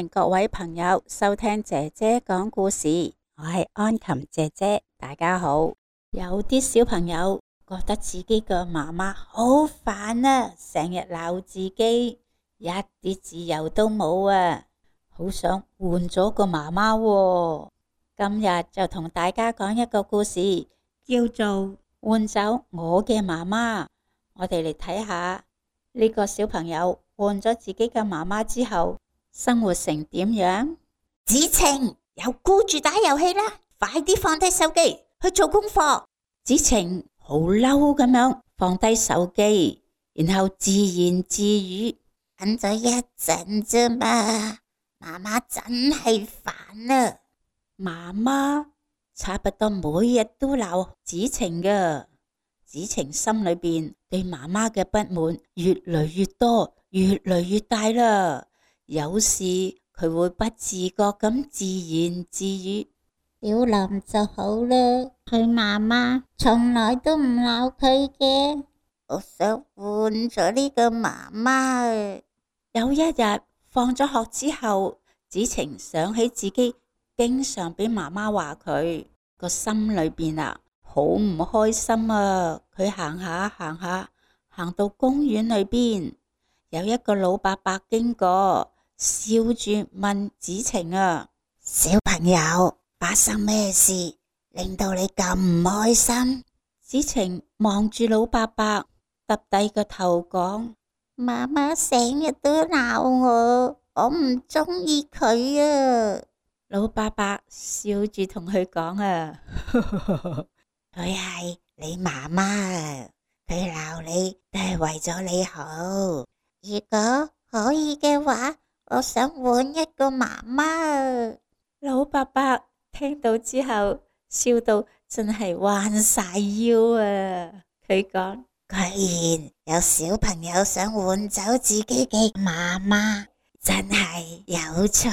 迎各位朋友收聽姐姐講故事，我係安琴姐姐，大家好。有啲小朋友覺得自己嘅媽媽好煩啊，成日鬧自己，一啲自由都冇啊，好想換咗個媽媽喎。今日就同大家講一個故事，叫做換走我嘅媽媽。我哋嚟睇下呢個小朋友換咗自己嘅媽媽之後，生活成點樣？子晴，又顧住打遊戲啦，快啲放低手機去做功課。子晴好嬲咁樣放低手機，然後自言自語：等咗一陣啫嘛，媽媽真係煩啊！媽媽差不多每日都鬧子晴㗎，子晴心裏邊對媽媽嘅不滿越嚟越多，越嚟越大啦。有時佢會不自覺咁自言自語：小林就好啦，佢媽媽從來都唔鬧佢嘅，我想換咗呢個媽媽。有一日放咗學之後，子晴想起自己經常俾媽媽話佢，個心裏邊好唔開心啊。佢行下行下，行到公園裏邊，有一個老伯伯經過，笑住問子晴：小朋友，發生咩事令到你咁唔開心？子晴望住老伯伯，耷低個頭講：媽媽成日都鬧我唔中意佢啊。老伯伯笑住同佢講：佢係你媽媽啊，佢鬧你都係為咗你好。如果可以嘅話，我想換一個媽媽。老伯伯聽到之後笑到真係彎晒腰啊！佢講：居然有小朋友想換走自己嘅媽媽，真係有趣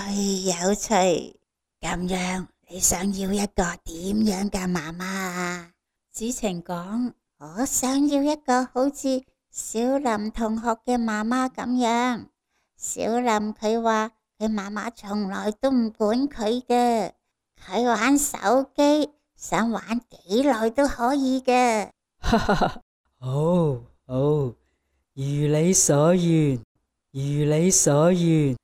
有趣。咁樣你想要一個點樣嘅媽媽啊？子晴講：我想要一個好似小林同學嘅媽媽咁樣。小林佢話佢媽媽從來都唔管佢嘅，佢玩手機想玩幾耐都可以嘅。好，如你所願，如你所願。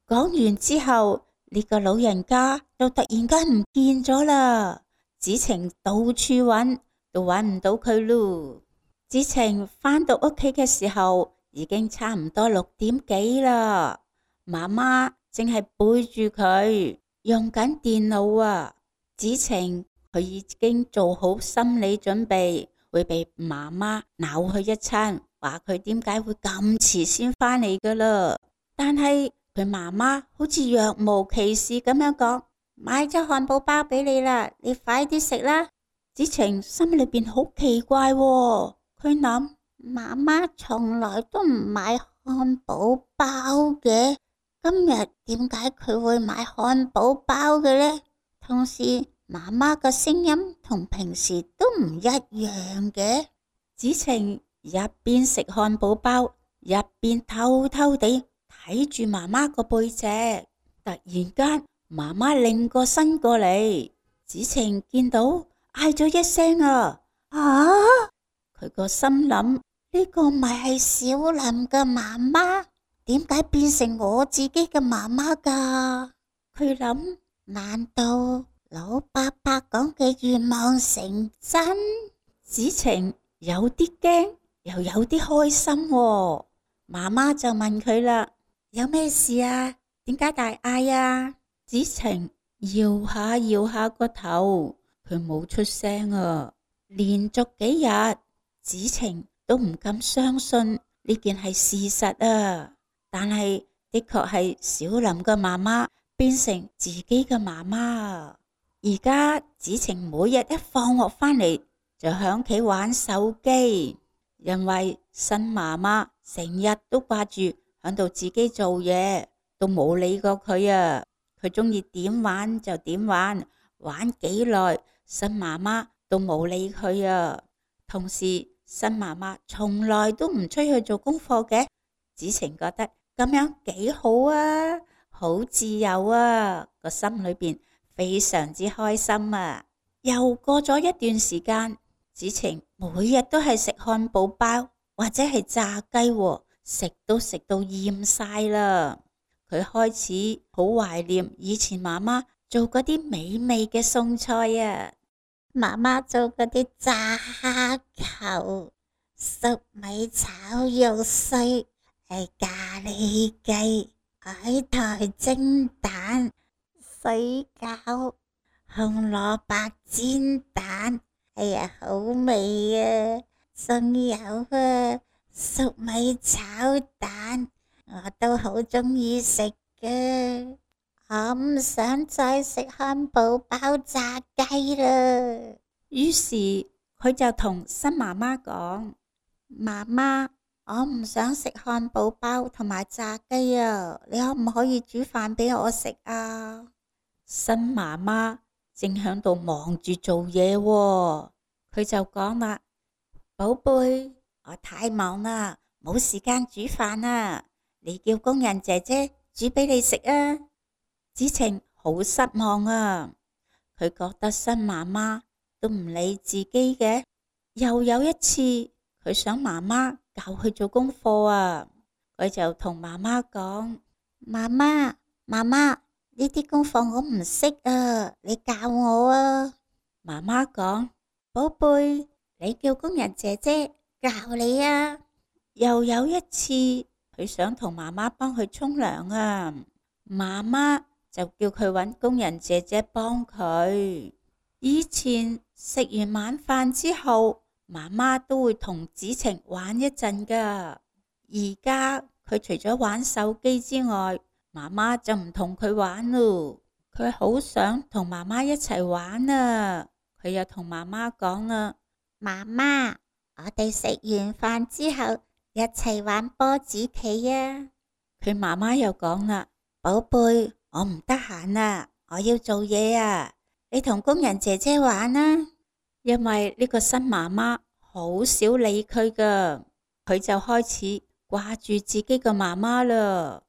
講完之後，呢個老人家就突然間唔見咗啦。子晴到處揾，都揾唔到佢咯。子晴返到屋企嘅時候，已經差唔多6點幾啦。媽媽正係背住佢用緊電腦啊。子晴佢已經做好心理準備，會被媽媽鬧佢一餐，話佢點解會咁遲先返嚟噶啦。但係佢媽媽好似若無其事咁樣講：買咗漢堡包俾你啦，你快啲食啦。子晴心裏邊好奇怪喎，佢諗：媽媽從來都唔買漢堡包嘅，今日點解佢會買漢堡包嘅呢？同時媽媽嘅聲音同平時都唔一樣嘅。子晴一邊食漢堡包，一邊偷偷地睇住媽媽個背脊。突然間，媽媽擰個身過嚟，子晴見到嗌咗一聲：啊！佢個心諗：呢個咪係小林嘅媽媽？點解變成我自己嘅媽媽噶？佢諗：難道老伯伯講嘅願望成真？子晴有啲驚，又有啲開心喎。媽媽就問佢啦：有咩事啊？點解大嗌啊？子晴搖下搖下個頭，佢冇出聲啊。連續幾日，子晴都唔敢相信呢件係事實啊。但係的確係小林嘅媽媽變成自己嘅媽媽。而家子晴每日一放學返嚟就響企玩手機，因為新媽媽成日都掛住響度自己做嘢，都冇理過佢啊。佢鍾意點玩就點玩，玩幾耐，新媽媽都冇理佢啊。同時，新媽媽從來都唔催佢做功課嘅。子晴覺得咁樣幾好啊，好自由啊，個心裏邊非常之開心啊。又過咗一段時間，子晴每日都係食漢堡包或者係炸雞喎，食都食到厭晒啦。佢開始好懷念以前媽媽做嗰啲美味嘅餸菜啊。媽媽做嗰啲炸蝦球、粟米炒肉碎、咖喱雞、海苔蒸蛋、水餃、紅蘿蔔煎蛋，哎呀，好味啊！仲有粟米炒蛋，我都好鍾意食㗎。我唔想再食漢堡包炸雞啦。於是佢就同新媽媽講：媽媽，我唔想食漢堡包同埋炸雞啊，你可唔可以煮飯俾我食啊？新媽媽正響度忙住做嘢喎，佢就講啦：寶貝，我太忙啦，冇時間煮飯啊，你叫工人姐姐煮俾你食啊。子晴好失望啊，佢覺得新媽媽都唔理自己嘅。又有一次，佢想媽媽教佢做功課啊，佢就同媽媽講：媽媽，呢啲功課我唔識啊，你教我啊。媽媽講：寶貝，你叫工人姐姐教你啊。又有一次，佢想同媽媽幫佢沖涼啊，媽媽就叫佢搵工人姐姐幫佢。以前食完晚飯之後，媽媽都會同子晴玩一陣噶。而家佢除咗玩手機之外，媽媽就唔同佢玩咯。佢好想同媽媽一齊玩啊！佢又同媽媽講啦：媽媽，我哋食完飯之後一齊玩波子棋啊！佢媽媽又講啦：寶貝，我唔得閒啊，我要做嘢啊，你同工人姐姐玩啊。因為呢個新媽媽好少理佢噶，佢就開始掛住自己個媽媽啦。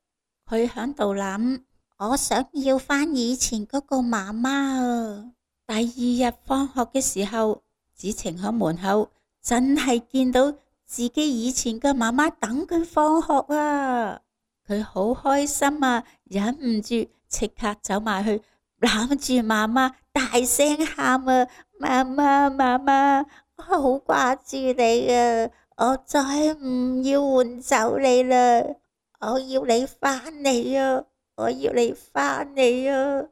佢響度諗：我想要返以前嗰個媽媽啊！第二日放學嘅時候，子晴喺門口真係見到自己以前嘅媽媽等佢放學啊！佢好開心啊，忍唔住即刻走埋去攬住媽媽，大聲喊啊！媽媽，媽媽，我好掛住你啊！我再唔要換走你啦！我要你返嚟啊！我要你返嚟啊！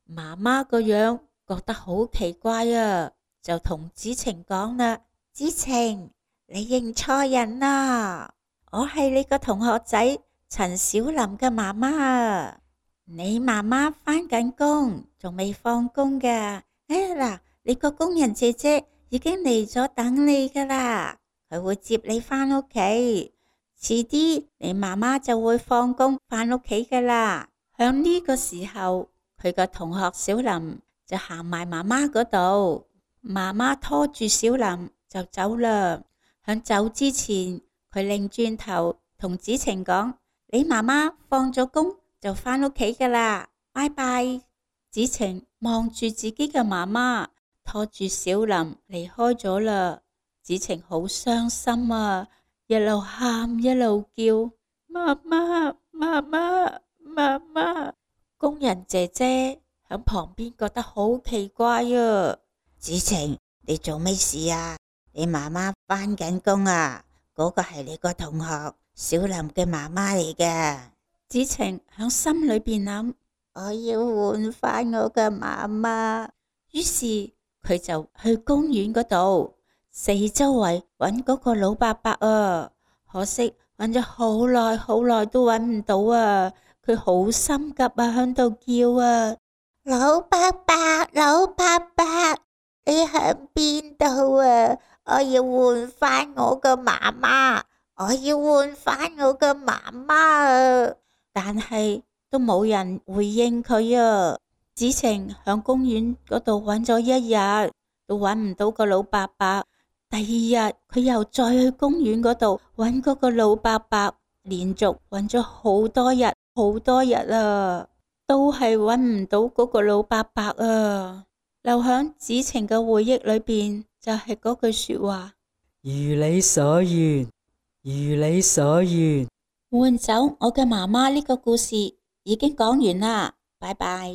媽媽個樣覺得好奇怪啊，就同子晴講啦：子晴，你認錯人啦，我係你個同學仔陳小林嘅媽媽啊！你媽媽返緊工，仲未放工噶。嗱，你個工人姐姐已經嚟咗等你噶啦，佢會接你返屋企。遲啲你媽媽就會放工返屋企噶啦。響呢個時候，佢個同學小林就行埋媽媽嗰度，媽媽拖住小林就走啦。響走之前，佢擰轉頭同子晴講：你媽媽放咗工就返屋企噶啦，拜拜。子晴望住自己嘅媽媽，拖住小林離開咗啦。子晴好傷心啊，一路喊一路叫：媽媽，媽媽，媽媽。工人姐姐喺旁邊覺得好奇怪啊。子晴，你做咩事啊？你媽媽返緊工啊？嗰個係你個同學小林嘅媽媽嚟嘅。子晴喺心裏邊諗：我要換返我嘅媽媽。於是佢就去公園嗰度四周圍揾嗰個老伯伯啊，可惜揾咗好耐都揾唔到啊。佢好心急啊，喺度叫啊：老伯伯，老伯伯，你喺邊度啊？我要換返我個媽媽，我要換返我個媽媽啊！但係都冇人回應佢啊。子晴響公園嗰度揾咗一日，都揾唔到個老伯伯。第二日佢又再去公園嗰度揾嗰個老伯伯，連續揾咗好多日，好多日啊，都係揾唔到嗰個老伯伯啊。留響子晴嘅回憶裏邊就係嗰句說話：如你所願，如你所願。換走我嘅媽媽呢個故事已經講完啦，拜拜。